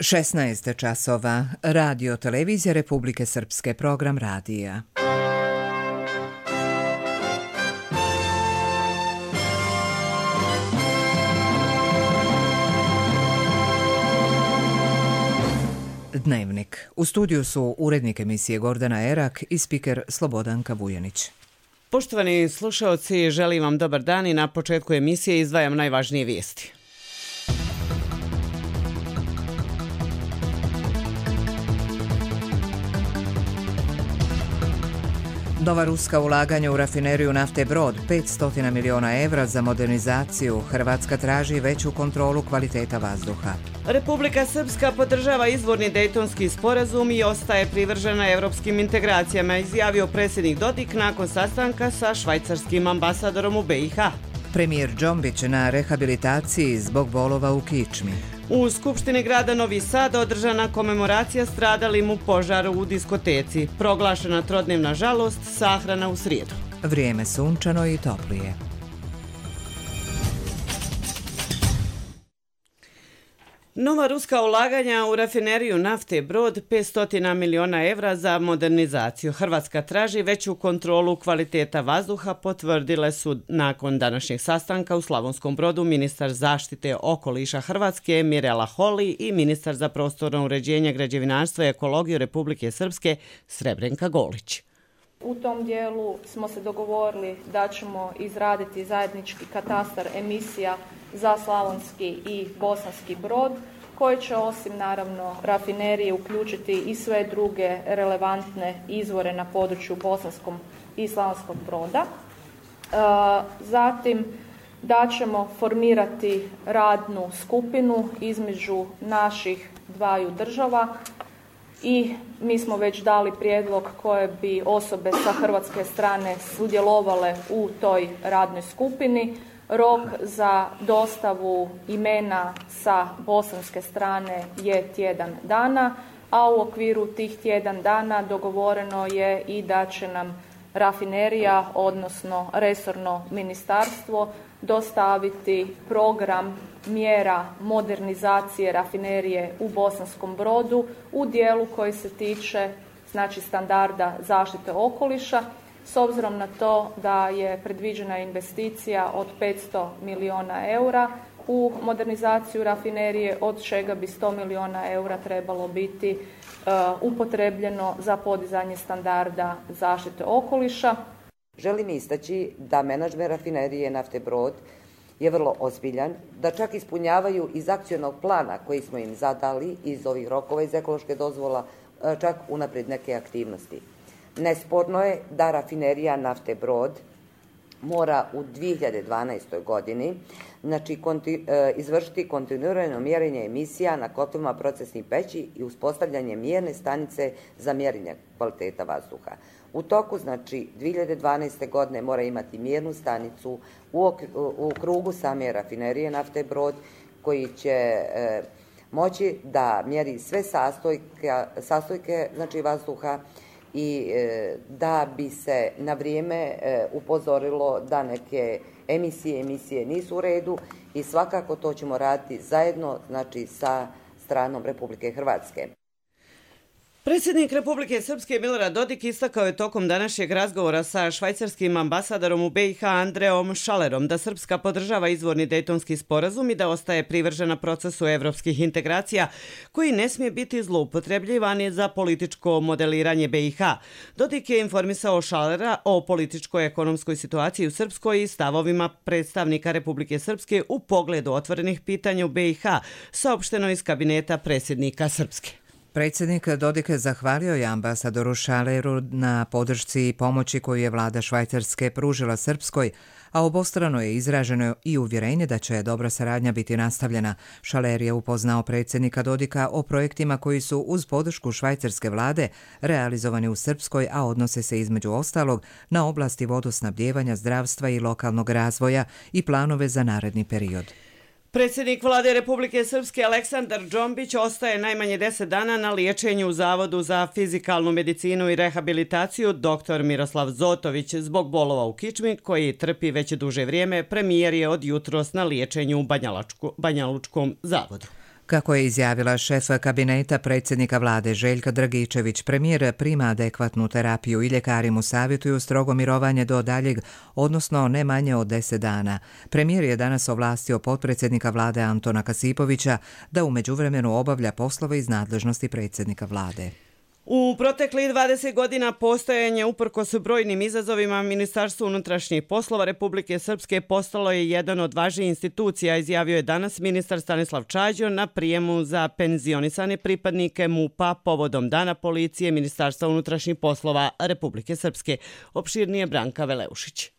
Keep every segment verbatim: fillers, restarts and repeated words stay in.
šesnaest časova. Radio Televizija Republike Srpske, program radija. Dnevnik. U studiju su urednik emisije Gordana Erak i spiker Slobodanka Vujanić. Poštovani slušaoci, želim vam dobar dan i na početku emisije izdvajam najvažnije vijesti. Nova ruska ulaganja u rafineriju nafte Brod, petsto miliona evra za modernizaciju. Hrvatska traži veću kontrolu kvaliteta vazduha. Republika Srpska podržava izvorni Dejtonski sporazum i ostaje privržena evropskim integracijama, izjavio predsjednik Dodik nakon sastanka sa švajcarskim ambasadorom u B i H. Premijer Džombić na rehabilitaciji zbog bolova u kičmi. U Skupštini grada Novi Sad održana komemoracija stradalim u požaru u diskoteci. Proglašena trodnevna žalost, sahrana u srijedu. Vrijeme sunčano i toplije. Nova ruska ulaganja u rafineriju nafte Brod, petsto miliona evra za modernizaciju. Hrvatska traži veću kontrolu kvaliteta vazduha, potvrdile su nakon današnjeg sastanka u Slavonskom Brodu ministar zaštite okoliša Hrvatske Mirela Holy i ministar za prostorno uređenje, građevinarstvo i ekologiju Republike Srpske Srebrenka Golić. U tom dijelu smo se dogovorili da ćemo izraditi zajednički katastar emisija za Slavonski i Bosanski Brod, koji će osim naravno rafinerije uključiti i sve druge relevantne izvore na području Bosanskog i Slavonskog Broda. Zatim da ćemo formirati radnu skupinu između naših dvaju država i mi smo već dali prijedlog koje bi osobe sa hrvatske strane sudjelovale u toj radnoj skupini. Rok za dostavu imena sa bosanske strane je tjedan dana, a u okviru tih tjedan dana dogovoreno je i da će nam rafinerija, odnosno resorno ministarstvo, dostaviti program mjera modernizacije rafinerije u Bosanskom Brodu u dijelu koji se tiče znači standarda zaštite okoliša. S obzirom na to da je predviđena investicija od petsto miliona eura u modernizaciju rafinerije, od čega bi sto miliona eura trebalo biti uh, upotrebljeno za podizanje standarda zaštite okoliša. Želim istaći da menadžment rafinerije nafte Brod je vrlo ozbiljan, da čak ispunjavaju iz akcionog plana koji smo im zadali, iz ovih rokova, iz ekološke dozvola, čak unaprijed neke aktivnosti. Nesporno je da rafinerija nafte Brod mora u dvije hiljade dvanaestoj godini znači, konti, e, izvršiti kontinuirano mjerenje emisija na kotlovima procesnih peći i uspostavljanje mjerne stanice za mjerenje kvaliteta vazduha. U toku, znači, dvije hiljade dvanaeste. godine mora imati mjernu stanicu u, ok, u krugu same rafinerije nafte Brod koji će e, moći da mjeri sve sastojke, sastojke znači, vazduha i e, da bi se na vrijeme e, upozorilo da neke emisije emisije nisu u redu i svakako to ćemo raditi zajedno znači sa stranom Republike Hrvatske. Predsjednik Republike Srpske Milorad Dodik istakao je tokom današnjeg razgovora sa švajcarskim ambasadorom u B i H Andreom Šalerom da Srpska podržava izvorni Dejtonski sporazum i da ostaje privržena procesu evropskih integracija koji ne smije biti zloupotrebljivan za političko modeliranje B i H. Dodik je informisao Šalera o političko-ekonomskoj situaciji u Srpskoj i stavovima predstavnika Republike Srpske u pogledu otvorenih pitanja u B i H, saopšteno iz kabineta predsjednika Srpske. Predsjednik Dodik zahvalio je ambasadoru Šaleru na podršci i pomoći koju je vlada Švajcarske pružila Srpskoj, a obostrano je izraženo i uvjerenje da će dobra saradnja biti nastavljena. Šaler je upoznao predsjednika Dodika o projektima koji su uz podršku švajcarske vlade realizovani u Srpskoj, a odnose se između ostalog na oblasti vodosnabdijevanja, zdravstva i lokalnog razvoja i planove za naredni period. Predsjednik vlade Republike Srpske Aleksandar Džombić ostaje najmanje deset dana na liječenju u Zavodu za fizikalnu medicinu i rehabilitaciju doktor Miroslav Zotović zbog bolova u kičmi koji trpi već duže vrijeme. Premijer je od jutros na liječenju u Banjalučkom zavodu. Kako je izjavila šef kabineta predsjednika vlade Željka Dragičević, premijer prima adekvatnu terapiju i ljekari mu savjetuju strogo mirovanje do daljeg, odnosno ne manje od deset dana. Premijer je danas ovlastio potpredsjednika vlade Antona Kasipovića da u međuvremenu obavlja poslove iz nadležnosti predsjednika vlade. U proteklih dvadeset godina postojanja uprkos brojnim izazovima, Ministarstvo unutrašnjih poslova Republike Srpske postalo je jedan od važnijih institucija, izjavio je danas ministar Stanislav Čađo na prijemu za penzionisane pripadnike MUP-a povodom Dana policije Ministarstva unutrašnjih poslova Republike Srpske. Opširnije Branka Veleušić.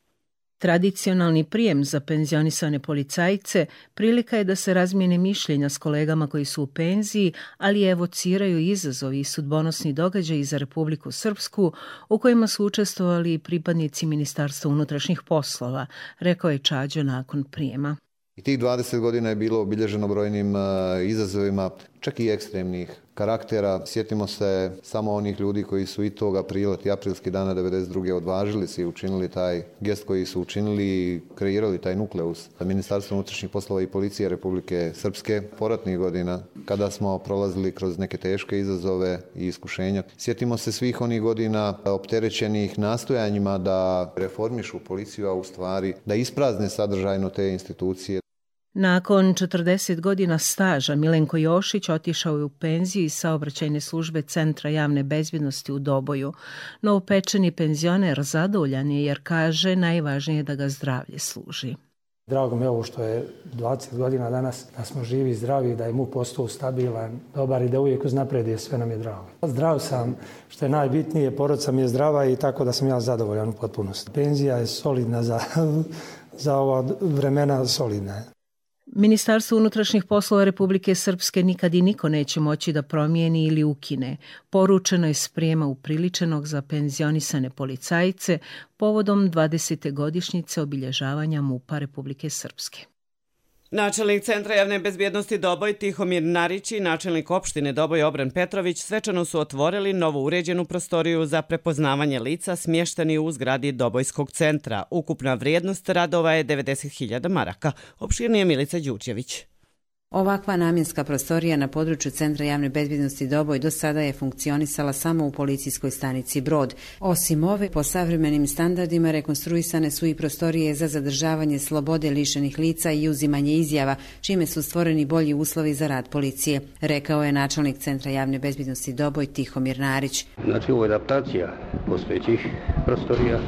Tradicionalni prijem za penzionisane policajce prilika je da se razmijene mišljenja s kolegama koji su u penziji, ali evociraju izazovi i sudbonosni događaji za Republiku Srpsku u kojima su učestvovali i pripadnici Ministarstva unutrašnjih poslova, rekao je Čađo nakon prijema. I tih dvadeset godina je bilo obilježeno brojnim uh, izazovima, čak i ekstremnih karaktera. Sjetimo se samo onih ljudi koji su i tog aprila, i aprilski dana devedeset druge odvažili se i učinili taj gest koji su učinili i kreirali taj nukleus Ministarstva unutrašnjih poslova i policije Republike Srpske poratnih godina, kada smo prolazili kroz neke teške izazove i iskušenja. Sjetimo se svih onih godina opterećenih nastojanjima da reformišu policiju, a u stvari da isprazne sadržajno te institucije. Nakon četrdeset godina staža Milenko Jošić otišao je u penziju iz saobraćajne službe Centra javne bezbjednosti u Doboju. Novopečeni penzioner zadovoljan je jer kaže najvažnije je da ga zdravlje služi. Drago mi je ovo što je dvadeset godina danas, da smo živi i zdravi, da je M U P postao stabilan, dobar i da uvijek uznaprijedi, sve nam je drago. Zdrav sam, što je najbitnije, porodica mi je zdrava i tako da sam ja zadovoljan u potpunosti. Penzija je solidna za, za ova vremena, solidna je. Ministarstvo unutrašnjih poslova Republike Srpske nikad i niko neće moći da promijeni ili ukine. Poručeno je s prijema upriličenog za penzionisane policajce povodom dvadesete godišnjice obilježavanja MUP-a Republike Srpske. Načelnik Centra javne bezbjednosti Doboj Tihomir Narić i načelnik opštine Doboj Obren Petrović svečano su otvorili novo uređenu prostoriju za prepoznavanje lica smješteni u zgradi Dobojskog centra. Ukupna vrijednost radova je devedeset hiljada maraka. Opširnije Milica Đurđević. Ovakva namjenska prostorija na području Centra javne bezbjednosti Doboj do sada je funkcionisala samo u policijskoj stanici Brod. Osim ove, po savremenim standardima rekonstruisane su i prostorije za zadržavanje slobode lišenih lica i uzimanje izjava, čime su stvoreni bolji uslovi za rad policije, rekao je načelnik Centra javne bezbjednosti Doboj Tihomir Narić. Znači, ovo je adaptacija postojećih prostorija.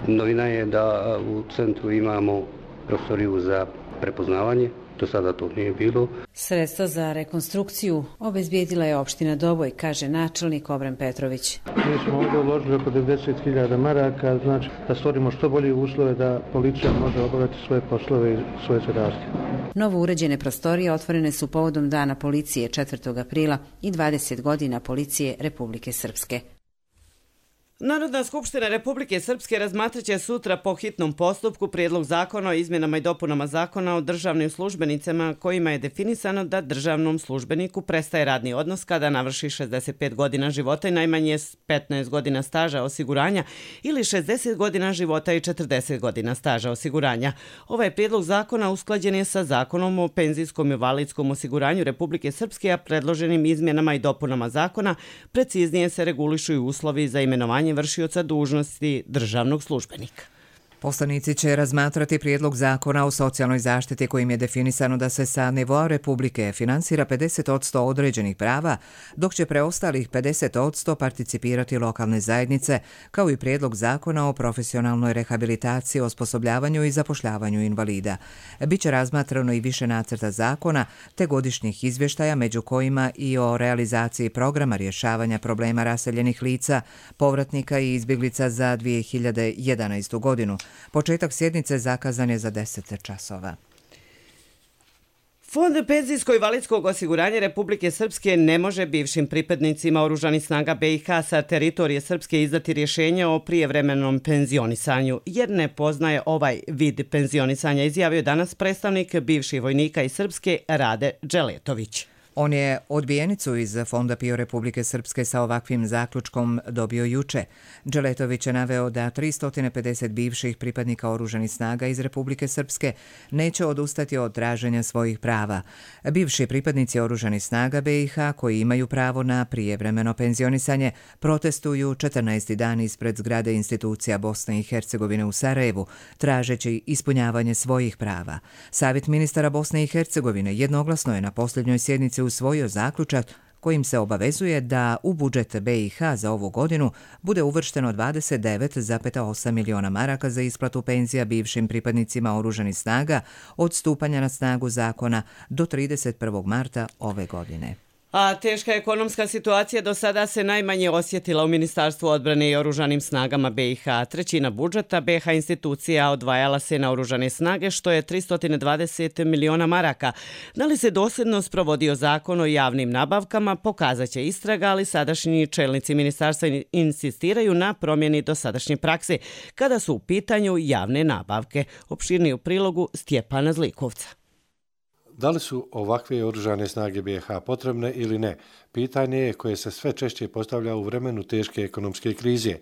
Novina je da u centru imamo prostoriju za prepoznavanje. Do sada to nije bilo. Sredstva za rekonstrukciju obezbijedila je opština Doboj, kaže načelnik Obren Petrović. Mi smo ovdje uložili oko devedeset hiljada maraka, znači da stvorimo što bolje uslove da policija može obavljati svoje poslove i svoje zadatke. Novo uređene prostorije otvorene su povodom Dana policije četvrtog aprila i dvadeset godina policije Republike Srpske. Narodna skupština Republike Srpske razmatraće sutra po hitnom postupku prijedlog zakona o izmjenama i dopunama zakona o državnim službenicama kojima je definisano da državnom službeniku prestaje radni odnos kada navrši šezdeset pet godina života i najmanje petnaest godina staža osiguranja ili šezdeset godina života i četrdeset godina staža osiguranja. Ovaj prijedlog zakona usklađen je sa zakonom o penzijskom i invalidskom osiguranju Republike Srpske, a predloženim izmjenama i dopunama zakona preciznije se regulišu i uslovi za imenovanje vršioca dužnosti državnog službenika. Poslanici će razmatrati prijedlog zakona o socijalnoj zaštiti kojim je definisano da se sa nivoa Republike finansira pedeset odsto određenih prava, dok će preostalih pedeset odsto participirati lokalne zajednice, kao i prijedlog zakona o profesionalnoj rehabilitaciji, osposobljavanju i zapošljavanju invalida. Biće razmatrano i više nacrta zakona te godišnjih izvještaja, među kojima i o realizaciji programa rješavanja problema raseljenih lica, povratnika i izbjeglica za dvije hiljade jedanaestu godinu. Početak sjednice zakazan je za deset časova. Fond penzijsko-invalidskog osiguranja Republike Srpske ne može bivšim pripadnicima oružanih snaga B i H sa teritorije Srpske izdati rješenje o prijevremenom penzionisanju, jer ne poznaje ovaj vid penzionisanja, izjavio danas predstavnik bivših vojnika iz Srpske Rade Dželetović. On je odbijenicu iz Fonda P I O Republike Srpske sa ovakvim zaključkom dobio juče. Dželetović je naveo da tristo pedeset bivših pripadnika oružanih snaga iz Republike Srpske neće odustati od traženja svojih prava. Bivši pripadnici oružanih snaga B i H koji imaju pravo na prijevremeno penzionisanje protestuju četrnaesti dan ispred zgrade institucija Bosne i Hercegovine u Sarajevu, tražeći ispunjavanje svojih prava. Savjet ministara Bosne i Hercegovine jednoglasno je na posljednjoj sjednici usvojio zaključak kojim se obavezuje da u budžet B i H za ovu godinu bude uvršteno dvadeset devet zarez osam miliona maraka za isplatu penzija bivšim pripadnicima oružanih snaga od stupanja na snagu zakona do trideset prvog marta ove godine. A teška ekonomska situacija do sada se najmanje osjetila u Ministarstvu odbrane i oružanim snagama B i H. Trećina budžeta B i H institucija odvajala se na oružane snage, što je tristo dvadeset miliona maraka. Da li se dosljedno sprovodio zakon o javnim nabavkama, pokazat će istraga, ali sadašnji čelnici ministarstva insistiraju na promjeni dosadašnje prakse kada su u pitanju javne nabavke. Opširniji u prilogu Stjepana Zlikovca. Da li su ovakve oružane snage B i H potrebne ili ne? Pitanje je koje se sve češće postavlja u vremenu teške ekonomske krize.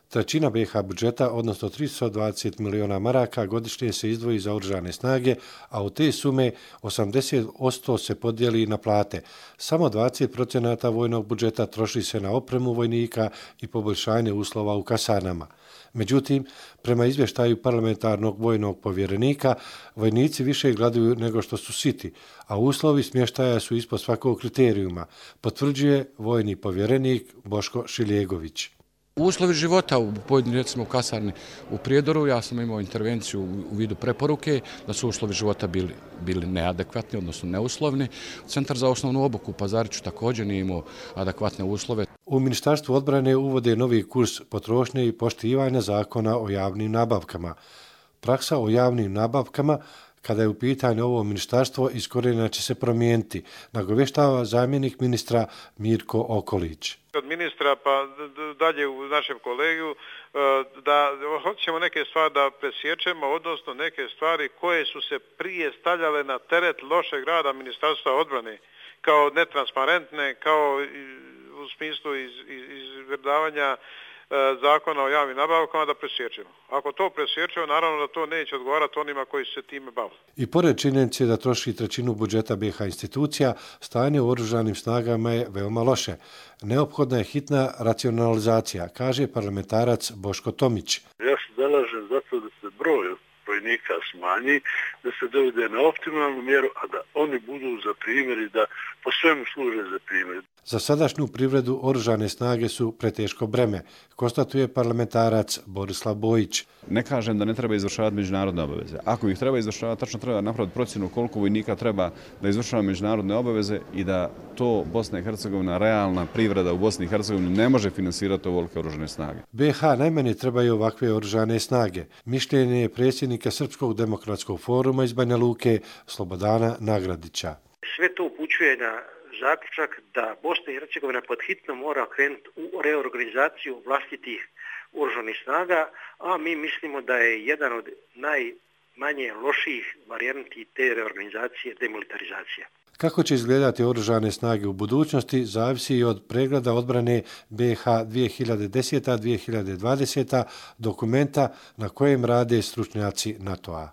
Trećina B i H budžeta, odnosno tristo dvadeset miliona maraka, godišnje se izdvoji za oružane snage, a u te sume osamdeset posto se podijeli na plate. Samo dvadeset procenata vojnog budžeta troši se na opremu vojnika i poboljšanje uslova u kasarnama. Međutim, prema izvještaju parlamentarnog vojnog povjerenika, vojnici više gladuju nego što su siti, a uslovi smještaja su ispod svakog kriterijuma, potvrđuje vojni povjerenik Boško Šiljegović. Uslovi života u pojedinim, recimo u kasarni u Prijedoru, ja sam imao intervenciju u vidu preporuke da su uslovi života bili, bili neadekvatni, odnosno neuslovni. Centar za osnovnu obuku u Pazariću također nije imao adekvatne uslove. U Ministarstvu odbrane uvode novi kurs potrošnje i poštivanja zakona o javnim nabavkama. Praksa o javnim nabavkama, kada je u pitanju ovo ministarstvo, iz korijena će se promijeniti, nagovještava zamjenik ministra Mirko Okolić. Od ministra pa dalje u našem kolegiju da hoćemo neke stvari da presječemo, odnosno neke stvari koje su se prije stavljale na teret lošeg rada Ministarstva odbrane kao netransparentne, kao u smislu iz, iz, izvrdavanja zakona o javnim nabavkama da presječemo. Ako to presječemo, naravno da to neće odgovarati onima koji se time bave. I pored činjenice da troši trećinu budžeta B i H institucija, stanje u oružanim snagama je veoma loše. Neophodna je hitna racionalizacija, kaže parlamentarac Boško Tomić. Ja se zalažem za to da se broj vojnika smanji, da se dovede na optimalnu mjeru, a da oni budu za primjer i da po svemu služe za primjer. Za sadašnju privredu oružane snage su preteško breme, konstatuje parlamentarac Borislav Bojić. Ne kažem da ne treba izvršavati međunarodne obaveze. Ako ih treba izvršavati, tačno treba napraviti procjenu koliko vojnika treba da izvršava međunarodne obaveze i da to Bosna i Hercegovina, realna privreda u Bosni i Hercegovini ne može finansirati ovolike oružane snage. B i H najmanje trebaju ovakve oružane snage. Mišljenje je predsjednika Srpskog demokratskog foruma iz Banja Luke Slobodana Nagradića. Sve to upućuje na zaključak da Bosna i Hercegovina pod hitno mora krenuti u reorganizaciju vlastitih oružanih snaga, a mi mislimo da je jedan od najmanje loših varijanti te reorganizacije demilitarizacija. Kako će izgledati oružane snage u budućnosti zavisi i od pregleda odbrane B i H dvije hiljade desete do dvije hiljade dvadesete dokumenta na kojem rade stručnjaci NATO-a.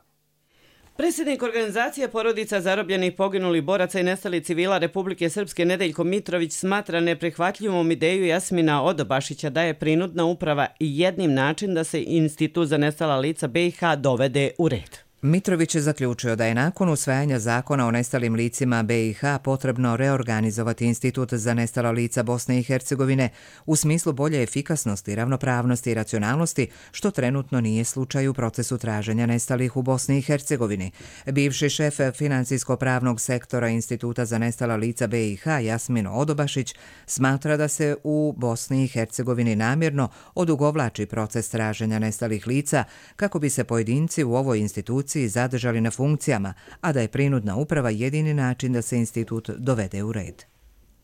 Predsjednik organizacije porodica zarobljenih poginulih boraca i nestalih civila Republike Srpske Nedeljko Mitrović smatra neprihvatljivom ideju Jasmina Odobašića da je prinudna uprava i jednim način da se Institut za nestala lica B i H dovede u red. Mitrović je zaključio da je nakon usvajanja zakona o nestalim licima B i H potrebno reorganizovati Institut za nestala lica Bosne i Hercegovine u smislu bolje efikasnosti, ravnopravnosti i racionalnosti, što trenutno nije slučaj u procesu traženja nestalih u Bosni i Hercegovini. Bivši šef financijsko-pravnog sektora Instituta za nestala lica B i H Jasmin Odobašić smatra da se u Bosni i Hercegovini namjerno odugovlači proces traženja nestalih lica kako bi se pojedinci u ovoj instituciji zadržali na funkcijama, a da je prinudna uprava jedini način da se institut dovede u red.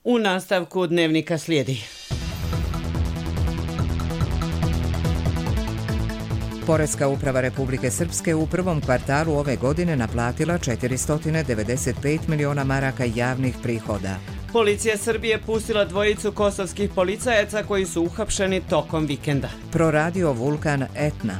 U nastavku dnevnika slijedi. Poreska uprava Republike Srpske u prvom kvartalu ove godine naplatila četiristo devedeset pet miliona maraka javnih prihoda. Policija Srbije pustila dvojicu kosovskih policajaca koji su uhapšeni tokom vikenda. Proradio vulkan Etna.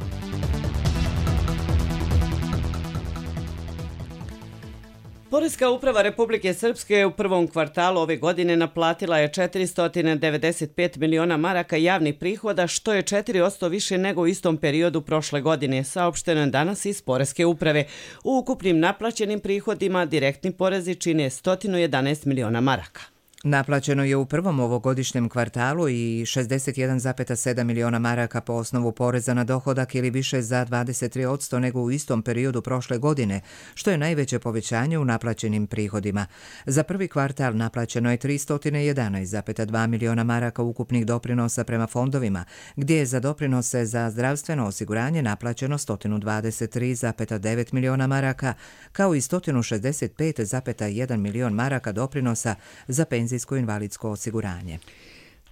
Poreska uprava Republike Srpske u prvom kvartalu ove godine naplatila je četiristo devedeset pet miliona maraka javnih prihoda, što je četiri posto više nego u istom periodu prošle godine, saopšteno je danas iz Poreske uprave. U ukupnim naplaćenim prihodima direktni porezi čine sto jedanaest miliona maraka. Naplaćeno je u prvom ovogodišnjem kvartalu i šezdeset jedan zarez sedam miliona maraka po osnovu poreza na dohodak ili više za dvadeset tri posto nego u istom periodu prošle godine, što je najveće povećanje u naplaćenim prihodima. Za prvi kvartal naplaćeno je tristo jedanaest zarez dva miliona maraka ukupnih doprinosa prema fondovima, gdje je za doprinose za zdravstveno osiguranje naplaćeno sto dvadeset tri zarez devet miliona maraka, kao i sto šezdeset pet zarez jedan milion maraka doprinosa za penzijsko invalidsko osiguranje.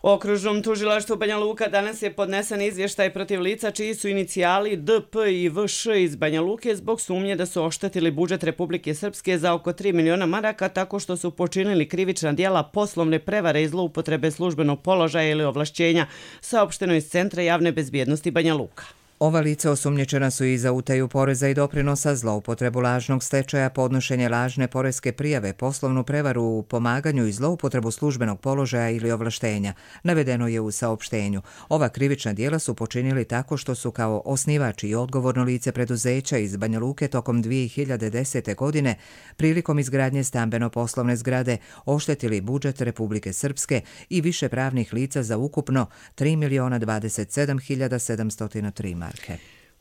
U okružnom tužilaštvu Banja Luka danas je podnesen izvještaj protiv lica čiji su inicijali D P i V Š iz Banja Luke zbog sumnje da su oštetili budžet Republike Srpske za oko tri miliona maraka tako što su počinili krivična djela poslovne prevare i zloupotrebe službenog položaja ili ovlašćenja, saopšteno iz Centra javne bezbjednosti Banja Luka. Ova lica osumnjičena su i za utaju poreza i doprinosa, zloupotrebu lažnog stečaja, podnošenje lažne poreske prijave, poslovnu prevaru u pomaganju i zloupotrebu službenog položaja ili ovlaštenja, navedeno je u saopštenju. Ova krivična djela su počinili tako što su kao osnivač i odgovorno lice preduzeća iz Banja Luke tokom dvije hiljade desete. godine prilikom izgradnje stambeno-poslovne zgrade oštetili budžet Republike Srpske i više pravnih lica za ukupno tri miliona dvadeset sedam hiljada sedamsto tri marke.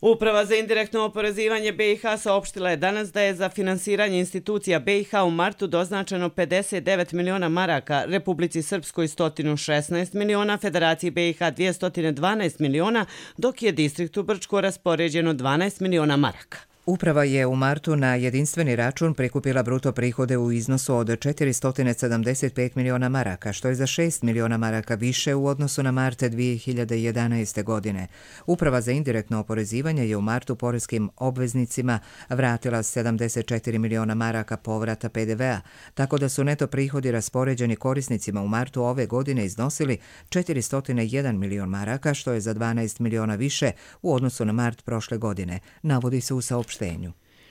Uprava za indirektno oporezivanje B i H saopštila je danas da je za finansiranje institucija B i H u martu doznačeno pedeset devet miliona maraka, Republici Srpskoj sto šesnaest miliona, Federaciji B i H dvjesto dvanaest miliona, dok je distriktu Brčko raspoređeno dvanaest miliona maraka. Uprava je u martu na jedinstveni račun prikupila bruto prihode u iznosu od četiristo sedamdeset pet miliona maraka, što je za šest miliona maraka više u odnosu na mart dvije hiljade jedanaeste. godine. Uprava za indirektno oporezivanje je u martu poreskim obveznicima vratila sedamdeset četiri miliona maraka povrata P D V-a, tako da su neto prihodi raspoređeni korisnicima u martu ove godine iznosili četiristo jedan milion maraka, što je za dvanaest miliona više u odnosu na mart prošle godine, navodi se u saopštenju.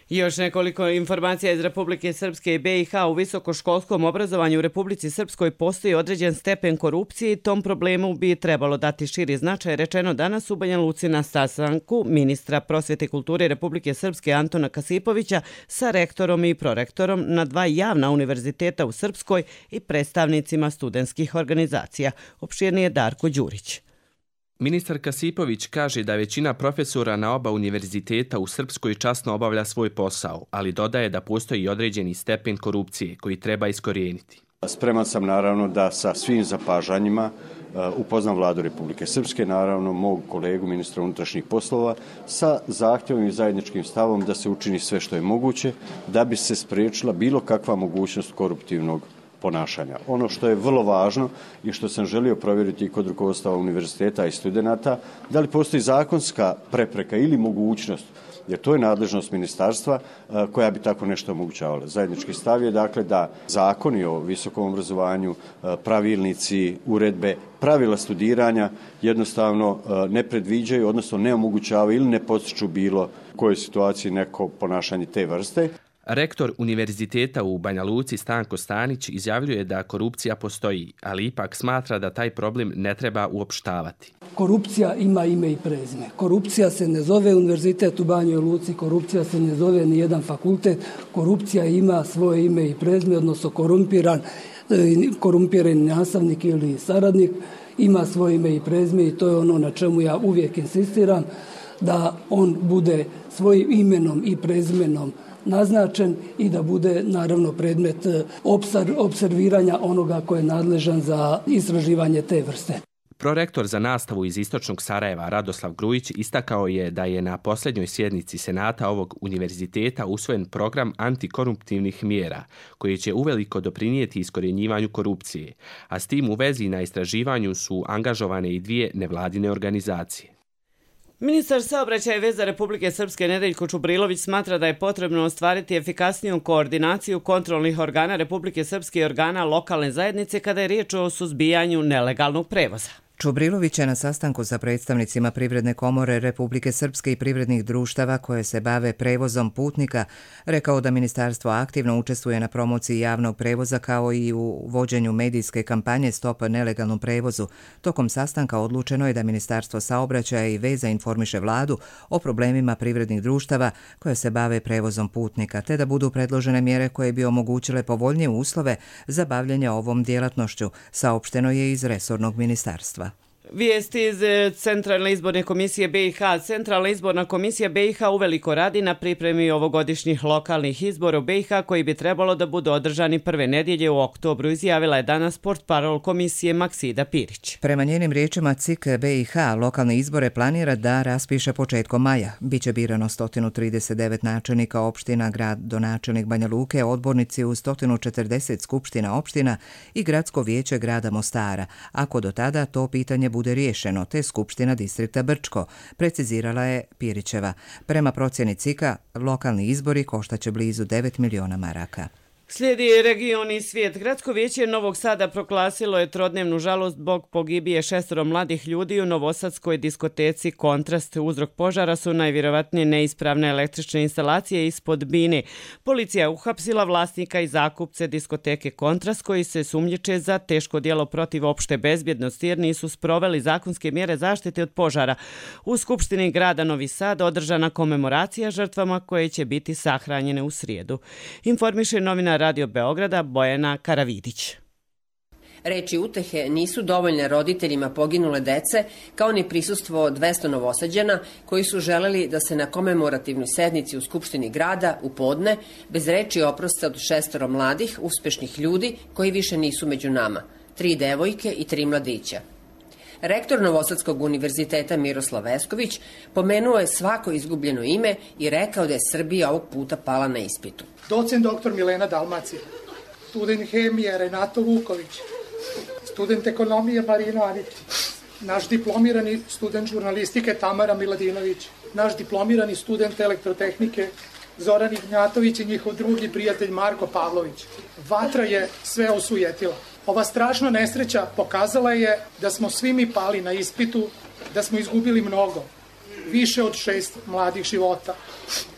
Još nekoliko informacija iz Republike Srpske i B i H. U visokoškolskom obrazovanju u Republici Srpskoj postoji određen stepen korupcije i tom problemu bi trebalo dati širi značaj, rečeno danas u Banja Luci na sastanku ministra prosvjete i kulture Republike Srpske Antona Kasipovića sa rektorom i prorektorom na dva javna univerziteta u Srpskoj i predstavnicima studentskih organizacija. Opširnije Darko Đurić. Ministar Kasipović kaže da većina profesora na oba univerziteta u Srpskoj časno obavlja svoj posao, ali dodaje da postoji određeni stepen korupcije koji treba iskorijeniti. Spreman sam naravno da sa svim zapažanjima upoznam vladu Republike Srpske, naravno mog kolegu ministra unutrašnjih poslova, sa zahtjevom i zajedničkim stavom da se učini sve što je moguće da bi se spriječila bilo kakva mogućnost koruptivnog ponašanja. Ono što je vrlo važno i što sam želio provjeriti kod rukovodstva univerziteta i studenata, da li postoji zakonska prepreka ili mogućnost, jer to je nadležnost ministarstva koja bi tako nešto omogućavala. Zajednički stav je dakle da zakoni o visokom obrazovanju, pravilnici, uredbe, pravila studiranja jednostavno ne predviđaju, odnosno ne omogućavaju ili ne potiču bilo u kojoj situaciji neko ponašanje te vrste. Rektor univerziteta u Banja Luci Stanko Stanić izjavljuje da korupcija postoji, ali ipak smatra da taj problem ne treba uopštavati. Korupcija ima ime i prezime. Korupcija se ne zove univerzitet u Banjoj Luci, korupcija se ne zove ni jedan fakultet, korupcija ima svoje ime i prezime, odnosno korumpiran, korumpirani nastavnik ili saradnik ima svoje ime i prezime i to je ono na čemu ja uvijek insistiram, da on bude svojim imenom i prezimenom naznačen i da bude naravno predmet opserviranja onoga ko je nadležan za istraživanje te vrste. Prorektor za nastavu iz istočnog Sarajeva Radoslav Grujić istakao je da je na posljednjoj sjednici Senata ovog univerziteta usvojen program antikoruptivnih mjera koji će uveliko doprinijeti iskorjenjivanju korupcije, a s tim u vezi na istraživanju su angažovane i dvije nevladine organizacije. Ministar saobraćaja i veza Republike Srpske Nedeljko Čubrilović smatra da je potrebno ostvariti efikasniju koordinaciju kontrolnih organa Republike Srpske i organa lokalne zajednice kada je riječ o suzbijanju nelegalnog prevoza. Čubrilović je na sastanku sa predstavnicima Privredne komore Republike Srpske i privrednih društava koje se bave prevozom putnika rekao da ministarstvo aktivno učestvuje na promociji javnog prevoza kao i u vođenju medijske kampanje Stop nelegalnom prevozu. Tokom sastanka odlučeno je da Ministarstvo saobraćaja i veza informiše vladu o problemima privrednih društava koje se bave prevozom putnika, te da budu predložene mjere koje bi omogućile povoljnije uslove za bavljanje ovom djelatnošću, saopšteno je iz resornog ministarstva. Vijesti iz Centralne izborne komisije B i H. Centralna izborna komisija B i H uveliko radi na pripremi ovogodišnjih lokalnih izbora u B i H koji bi trebalo da budu održani prve nedjelje u oktobru, izjavila je danas portparol komisije Maksida Pirić. Prema njenim riječima C I K B i H lokalne izbore planira da raspiše početkom maja. Biće birano sto trideset devet načelnika opština, grad donačelnik Banja Luke, odbornici u sto četrdeset skupština opština i gradsko vijeće grada Mostara, ako do tada to pitanje bude riješeno, te Skupština distrikta Brčko, precizirala je Pirićeva. Prema procjeni C I K-a, lokalni izbori koštaće blizu devet miliona maraka. Slijedi region i svijet. Gradsko vijeće Novog Sada proglasilo je trodnevnu žalost zbog pogibije šestoro mladih ljudi u novosadskoj diskoteci Kontrast. Uzrok požara su najvjerovatnije neispravne električne instalacije ispod bine. Policija je uhapsila vlasnika i zakupce diskoteke Kontrast koji se sumnjiče za teško djelo protiv opšte bezbjednosti jer nisu sproveli zakonske mjere zaštite od požara. U Skupštini grada Novi Sad održana komemoracija žrtvama koje će biti sahranjene u srijedu. Informiše novinar Radio Beograda Bojana Karavidić. Reči utehe nisu dovoljne roditeljima poginule dece, kao ni prisustvo dvesta Novosađana koji su želeli da se na komemorativnoj sednici u Skupštini grada u podne bez reči oproste od šestoro mladih, uspešnih ljudi koji više nisu među nama, tri devojke i tri mladića. Rektor Novosadskog univerziteta Miroslav Vesković pomenuo je svako izgubljeno ime i rekao da je Srbija ovog puta pala na ispitu. Docent doktor Milena Dalmacija, student hemije Renato Vuković, student ekonomije Marina Anić, naš diplomirani student žurnalistike Tamara Miladinović, naš diplomirani student elektrotehnike Zoran Ignjatović i njihov drugi prijatelj Marko Pavlović. Vatra je sve osujetila. Ova strašna nesreća pokazala je da smo svi mi pali na ispitu, da smo izgubili mnogo, više od šest mladih života.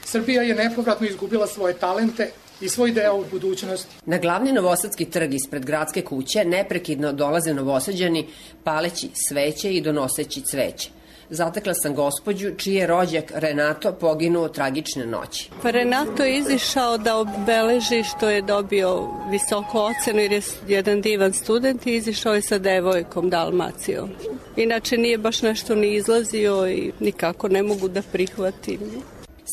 Srbija je nepovratno izgubila svoje talente i svoj deo u budućnosti. Na glavni novosadski trg ispred gradske kuće neprekidno dolaze Novosađani paleći sveće i donoseći cveće. Zatekla sam gospođu čiji je rođak Renato poginuo tragične noći. Pa Renato je izišao da obeleži što je dobio visoku ocenu jer je jedan divan student i izišao je sa devojkom Dalmacijom. Inače nije baš nešto ni izlazio i nikako ne mogu da prihvatim.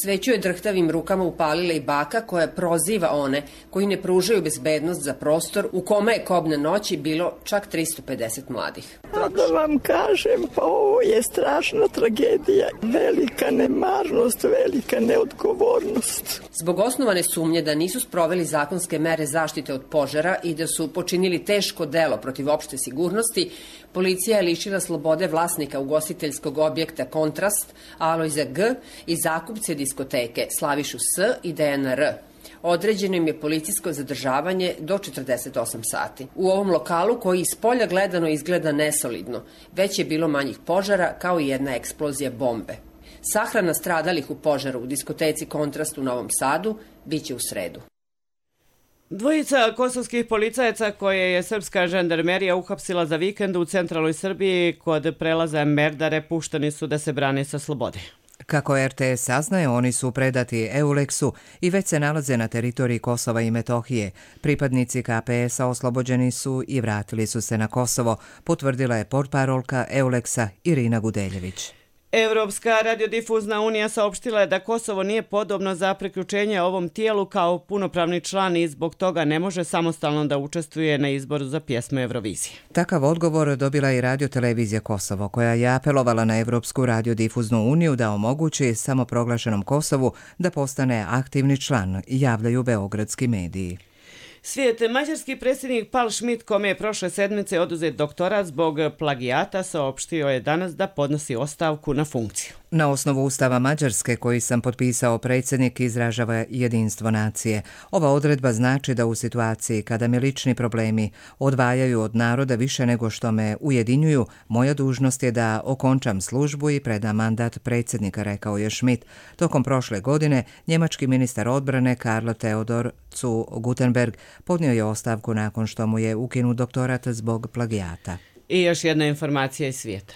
Sveću je drhtavim rukama upalila i baka koja proziva one koji ne pružaju bezbednost za prostor u kome je kobne noći bilo čak tristo pedeset mladih. Da vam kažem, pa ovo je strašna tragedija, velika nemarnost, velika neodgovornost. Zbog osnovane sumnje da nisu sproveli zakonske mere zaštite od požara i da su počinili teško delo protiv opšte sigurnosti, policija je lišila slobode vlasnika ugostiteljskog objekta Kontrast, Alojza G. i zakupce diskoteke Slavišu S. i Dejana R. Određeno im je policijsko zadržavanje do četrdeset osam sati. U ovom lokalu, koji iz polja gledano izgleda nesolidno, već je bilo manjih požara kao i jedna eksplozija bombe. Sahrana stradalih u požaru u diskoteci Kontrast u Novom Sadu biće u sredu. Dvojica kosovskih policajaca koje je srpska žandarmerija uhapsila za vikend u centralnoj Srbiji kod prelaza Merdare pušteni su da se brane sa slobode. Kako R T S saznaje, oni su predati Euleksu i već se nalaze na teritoriji Kosova i Metohije. Pripadnici K P S-a oslobođeni su i vratili su se na Kosovo, potvrdila je portparolka Euleksa Irina Gudeljević. Evropska radiodifuzna unija saopštila je da Kosovo nije podobno za priključenje ovom tijelu kao punopravni član i zbog toga ne može samostalno da učestvuje na izboru za pjesmu Eurovizije. Takav odgovor dobila je radiotelevizija Kosovo, koja je apelovala na Evropsku radiodifuznu uniju da omogući samoproglašenom Kosovu da postane aktivni član, javljaju beogradski mediji. Svijet, mađarski predsjednik Paul Schmidt, kome je prošle sedmice oduzet doktorat zbog plagijata, saopštio je danas da podnosi ostavku na funkciju. Na osnovu Ustava Mađarske koji sam potpisao, predsjednik izražava jedinstvo nacije. Ova odredba znači da u situaciji kada me lični problemi odvajaju od naroda više nego što me ujedinjuju, moja dužnost je da okončam službu i predam mandat predsjednika, rekao je Schmidt. Tokom prošle godine njemački ministar odbrane Karl Theodor zu Guttenberg podnio je ostavku nakon što mu je ukinut doktorat zbog plagijata. I još jedna informacija iz svijeta.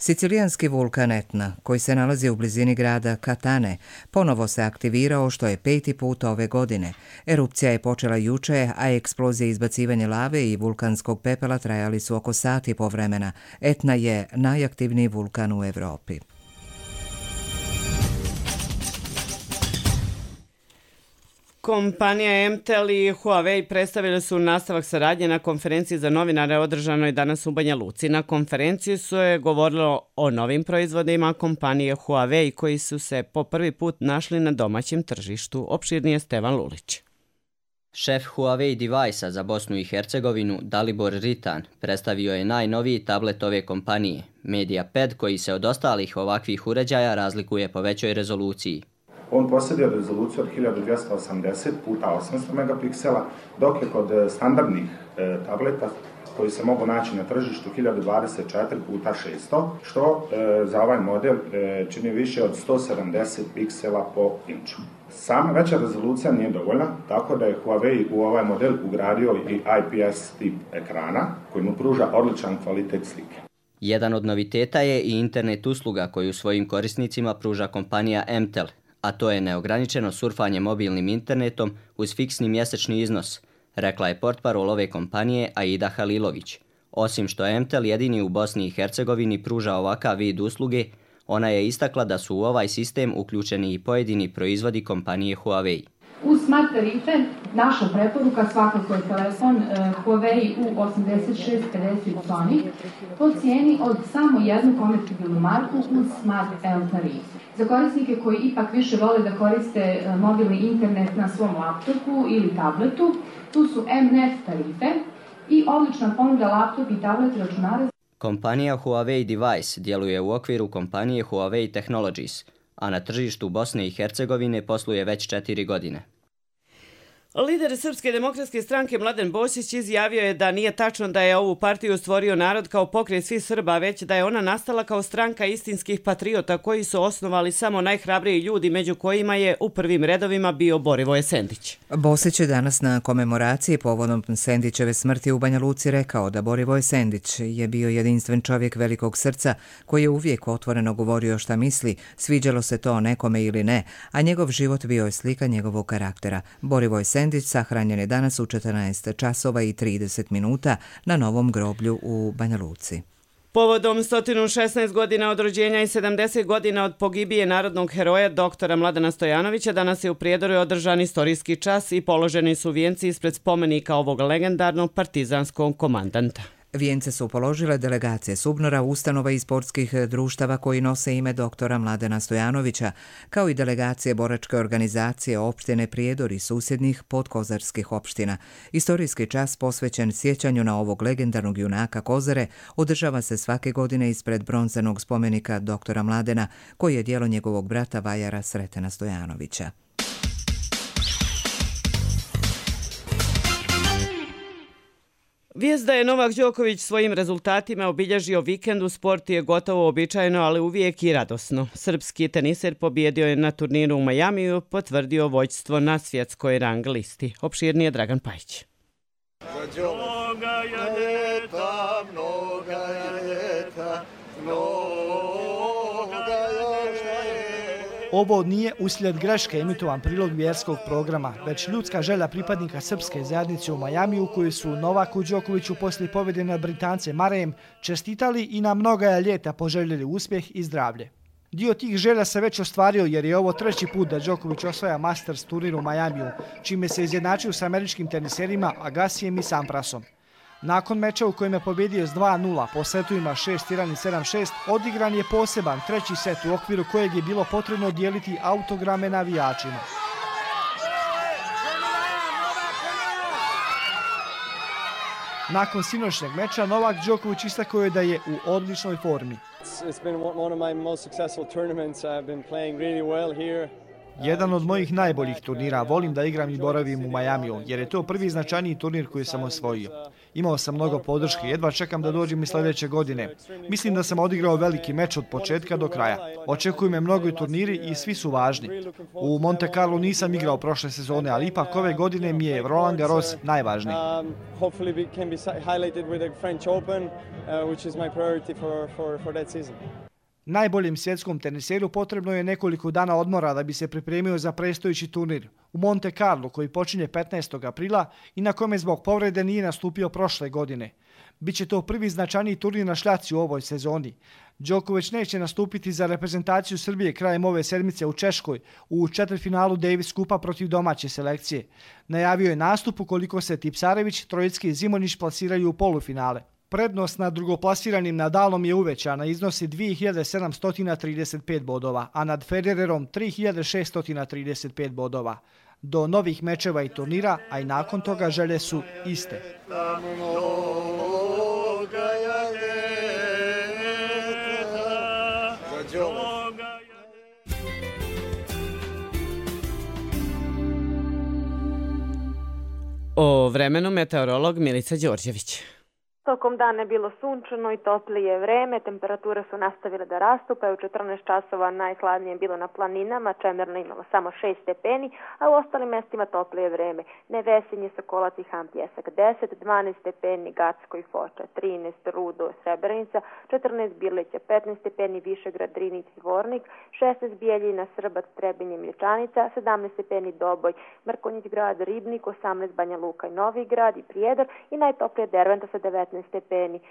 Sicilijanski vulkan Etna, koji se nalazi u blizini grada Catane, ponovo se aktivirao, što je peti put ove godine. Erupcija je počela juče, a eksplozije, izbacivanje lave i vulkanskog pepela trajali su oko sat i po vremena. Etna je najaktivniji vulkan u Evropi. Kompanija M T L i Huawei predstavili su nastavak saradnje na konferenciji za novinare održanoj danas u Banja Luci. Na konferenciji su je govorilo o novim proizvodima kompanije Huawei koji su se po prvi put našli na domaćem tržištu. Opširnije Stevan Lulić. Šef Huawei Device-a za Bosnu i Hercegovinu, Dalibor Ritan, predstavio je najnoviji tablet ove kompanije, MediaPad, koji se od ostalih ovakvih uređaja razlikuje po većoj rezoluciji. On posjeduje rezoluciju od hiljadu dvjesto osamdeset puta osamsto megapiksela, dok je kod standardnih e, tableta koji se mogu naći na tržištu hiljadu dvadeset četiri puta šesto, što e, za ovaj model e, čini više od sto sedamdeset piksela po inču. Sama veća rezolucija nije dovoljna, tako da je Huawei u ovaj model ugradio i I P S tip ekrana koji mu pruža odličan kvalitet slike. Jedan od noviteta je i internet usluga koju svojim korisnicima pruža kompanija M T E L, a to je neograničeno surfanje mobilnim internetom uz fiksni mjesečni iznos, rekla je portparol ove kompanije Aida Halilović. Osim što M T E L jedini u Bosni i Hercegovini pruža ovakav vid usluge, ona je istakla da su u ovaj sistem uključeni i pojedini proizvodi kompanije Huawei. Uz smart tarife naša preporuka svakako je telefon uh, Huawei U osamdeset šest pedeset Sonic po cijeni od samo jednu konvertibilnu marku uz smart L tarifu. Za korisnike koji ipak više vole da koriste uh, mobilni internet na svom laptopu ili tabletu, tu su M N F tarife i odlična ponuda laptop i tablet računara. Kompanija Huawei Device djeluje u okviru kompanije Huawei Technologies, a na tržištu Bosne i Hercegovine posluje već četiri godine. Lider Srpske demokratske stranke Mladen Bosić izjavio je da nije tačno da je ovu partiju stvorio narod kao pokret svih Srba, već da je ona nastala kao stranka istinskih patriota koji su osnovali samo najhrabriji ljudi, među kojima je u prvim redovima bio Borivoje Sendić. Bosić je danas na komemoraciji povodom Sendićeve smrti u Banja Luci rekao da Borivoje Sendić je bio jedinstven čovjek velikog srca koji je uvijek otvoreno govorio šta misli, sviđalo se to nekome ili ne, a njegov život bio je slika njegovog karaktera. Borivoje Sendić sahranjen je danas u četrnaest časova i trideset minuta na novom groblju u Banja Luci. Povodom sto šesnaest godina od rođenja i sedamdeset godina od pogibije narodnog heroja doktora Mladena Stojanovića danas je u Prijedoru održan istorijski čas i položeni su vijenci ispred spomenika ovog legendarnog partizanskog komandanta. Vijence su položile delegacije SUBNOR-a, ustanova i sportskih društava koji nose ime doktora Mladena Stojanovića, kao i delegacije boračke organizacije opštine Prijedor i susjednih podkozarskih opština. Istorijski čas posvećen sjećanju na ovog legendarnog junaka Kozare održava se svake godine ispred bronzanog spomenika doktora Mladena, koji je djelo njegovog brata vajara Sretena Stojanovića. Vijest da je Novak Đoković svojim rezultatima obilježio vikend u sportu je gotovo običajno, ali uvijek i radosno. Srpski teniser pobjedio je na turniru u Majamiju, potvrdio vođstvo na svjetskoj rang listi. Opširnije Dragan Pajić. Ovo nije uslijed greške emitovan prilog vjerskog programa, već ljudska želja pripadnika srpske zajednice u Majamiju koji su Novaku Đokoviću poslije pobjede nad Britance Marejem čestitali i na mnoga ljeta poželjeli uspjeh i zdravlje. Dio tih želja se već ostvario jer je ovo treći put da Đoković osvaja Masters turnir u Majamiju, čime se izjednačio s američkim teniserima Agasijem i Samprasom. Nakon meča u kojem je pobjedio s dva nula po setovima šest jedan i sedam šest, odigran je poseban treći set u okviru kojeg je bilo potrebno dijeliti autograme navijačima. Nakon sinoćnjeg meča Novak Đoković istakao je da je u odličnoj formi. Jedan od mojih najboljih turnira, volim da igram i boravim u Majamiju, jer je to prvi značajniji turnir koji sam osvojio. Imao sam mnogo podrške, jedva čekam da dođem i sljedeće godine. Mislim da sam odigrao veliki meč od početka do kraja. Očekuju me mnogo turniri i svi su važni. U Monte Carlo nisam igrao prošle sezone, ali ipak ove godine mi je Roland Garros najvažniji. Najboljem svjetskom teniseru potrebno je nekoliko dana odmora da bi se pripremio za predstojeći turnir u Monte Carlo koji počinje petnaestog aprila i na kome zbog povrede nije nastupio prošle godine. Biće to prvi značajniji turnir na šljaci u ovoj sezoni. Đoković neće nastupiti za reprezentaciju Srbije krajem ove sedmice u Češkoj u četvrtfinalu Davis Kupa protiv domaće selekcije. Najavio je nastup ukoliko se Tipsarević, Trojicki i Zimonjić plasiraju u polufinale. Prednost nad drugoplasiranim Nadalom je uvećana, iznosi dvije hiljade sedamsto trideset pet bodova, a nad Federerom tri hiljade šesto trideset pet bodova. Do novih mečeva i turnira, a i nakon toga želje su iste. O vremenu meteorolog Milica Đorđević. Tokom dana je bilo sunčano i toplije vreme, temperature su nastavile da rastu, pa je u četrnaest časova najhladnije bilo na planinama, Čemerno imalo samo šest stepeni, a u ostalim mestima toplije vreme. Nevesinje, Sokolac i Han Pjesak deset, dvanaest stepeni Gacko i Foča, trinaest Rudo, Srebrenica, četrnaest Birlića, petnaest stepeni Višegrad, Drinić i Zvornik, šesnaest Bijeljina, Srbac, Trebinje, Mlječanica, sedamnaest stepeni Doboj, Mrkonjić grad, Ribnik, osamnaest Banja Luka i Novi grad i Prijedor i najtoplije Derventa sa devetnaest stepeni. E,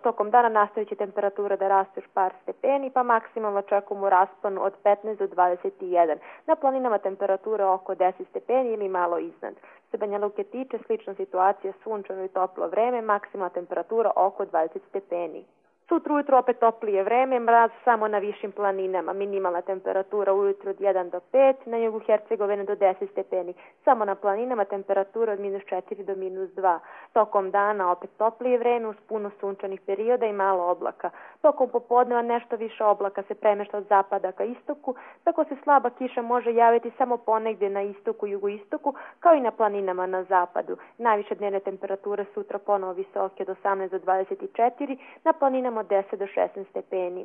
tokom dana nastavit će temperatura da raste još par stepeni, pa maksimalno očekujemo raspon od petnaest do dvadeset jedan. Na planinama temperatura oko deset stepeni ili malo iznad. Što se Banja Luke tiče, slična situacija, sunčano i toplo vreme, maksimalna temperatura oko dvadeset stepeni. Sutra ujutro opet toplije vreme, mraz samo na višim planinama, minimalna temperatura ujutro od jedan do pet, na jugu Hercegovine do deset stepeni, samo na planinama temperatura od minus četiri do minus dva. Tokom dana opet toplije vreme uz puno sunčanih perioda i malo oblaka. Tokom popodneva nešto više oblaka se premešta od zapada ka istoku, tako se slaba kiša može javiti samo ponegdje na istoku i jugoistoku, kao i na planinama na zapadu. Najviše dnevne temperature sutra ponovo visoke od osamnaest do dvadeset četiri, na planinama od deset do šesnaest stepeni.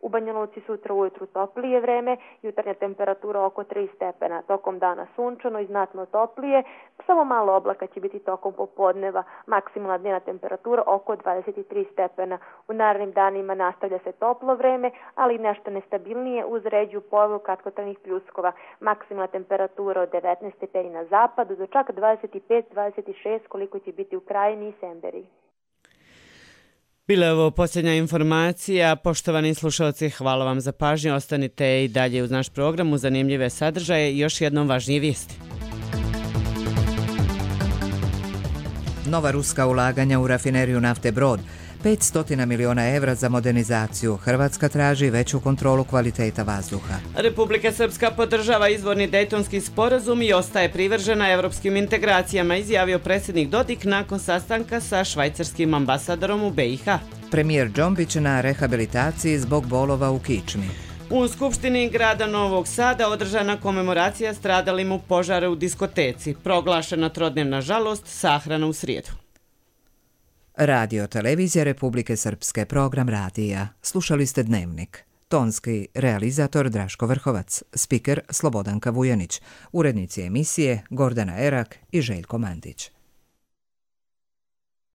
U Banja Luci sutra ujutru toplije vreme, jutarnja temperatura oko tri stepena, tokom dana sunčano i znatno toplije, samo malo oblaka će biti tokom popodneva, maksimalna dnevna temperatura oko dvadeset tri stepena. U narednim danima nastavlja se toplo vreme, ali nešto nestabilnije uz ređu pojavu kratkotrajnih pljuskova, maksimalna temperatura od devetnaest stepeni na zapadu do čak dvadeset pet do dvadeset šest koliko će biti u Krajini i Semberiji. Bila je ovo posljednja informacija. Poštovani slušalci, hvala vam za pažnju. Ostanite i dalje uz naš program, uz zanimljive sadržaje i još jednom važnije vijesti. Nova ruska ulaganja u rafineriju nafte Brod. petsto miliona evra za modernizaciju. Hrvatska traži veću kontrolu kvaliteta vazduha. Republika Srpska podržava izvorni Dejtonski sporazum i ostaje privržena evropskim integracijama, izjavio predsjednik Dodik nakon sastanka sa švajcarskim ambasadorom u B i H. Premijer Džombić na rehabilitaciji zbog bolova u kičmi. U Skupštini grada Novog Sada održana komemoracija stradalim u požaru u diskoteci. Proglašena trodnevna žalost, sahrana u srijedu. Radio Televizija Republike Srpske, program radija. Slušali ste Dnevnik. Tonski realizator Draško Vrhovac, spiker Slobodanka Vujanić, urednici emisije Gordana Erak i Željko Mandić.